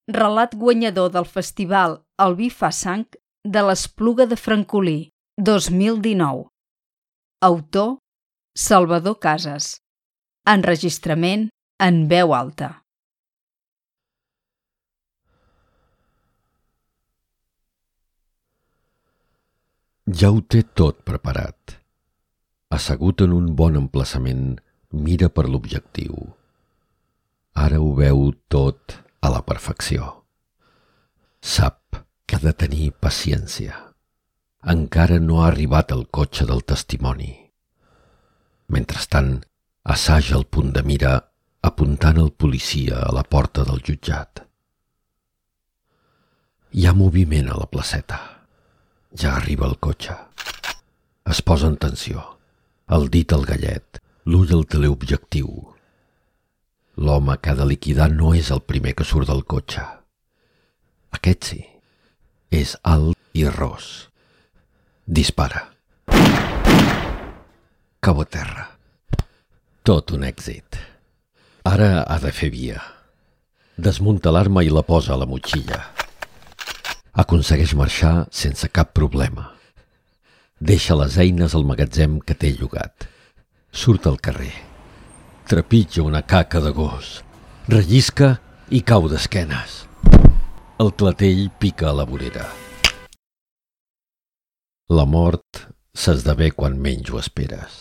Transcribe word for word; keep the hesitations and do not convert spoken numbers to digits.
Relat guanyador del festival El vi fa sang de l'Espluga de Francolí, dos mil dinou. Autor: Salvador Casas. Enregistrament en veu alta. Ja ho té tot preparat. Assegut en un bon emplaçament, mira per l'objectiu. Ara ho veu tot a la perfecció. Sap que ha de tenir paciència. Encara no ha arribat el cotxe del testimoni. Mentrestant, assaja el punt de mira apuntant el policia a la porta del jutjat. Hi ha moviment a la placeta. Ja arriba el cotxe. Es posa en tensió. El dit al gallet, l'ull al teleobjectiu. L'home que ha de liquidar no és el primer que surt del cotxe. Aquest sí. És alt i ros. Dispara. Cau a terra. Tot un èxit. Ara ha de fer via. Desmunta l'arma i la posa a la motxilla. Aconsegueix marxar sense cap problema. Deixa les eines al magatzem que té llogat. Surt al carrer. Trepitja una caca de gos. Rellisca i cau d'esquenes. El clatell pica a la vorera. La mort s'esdevé quan menys ho esperes.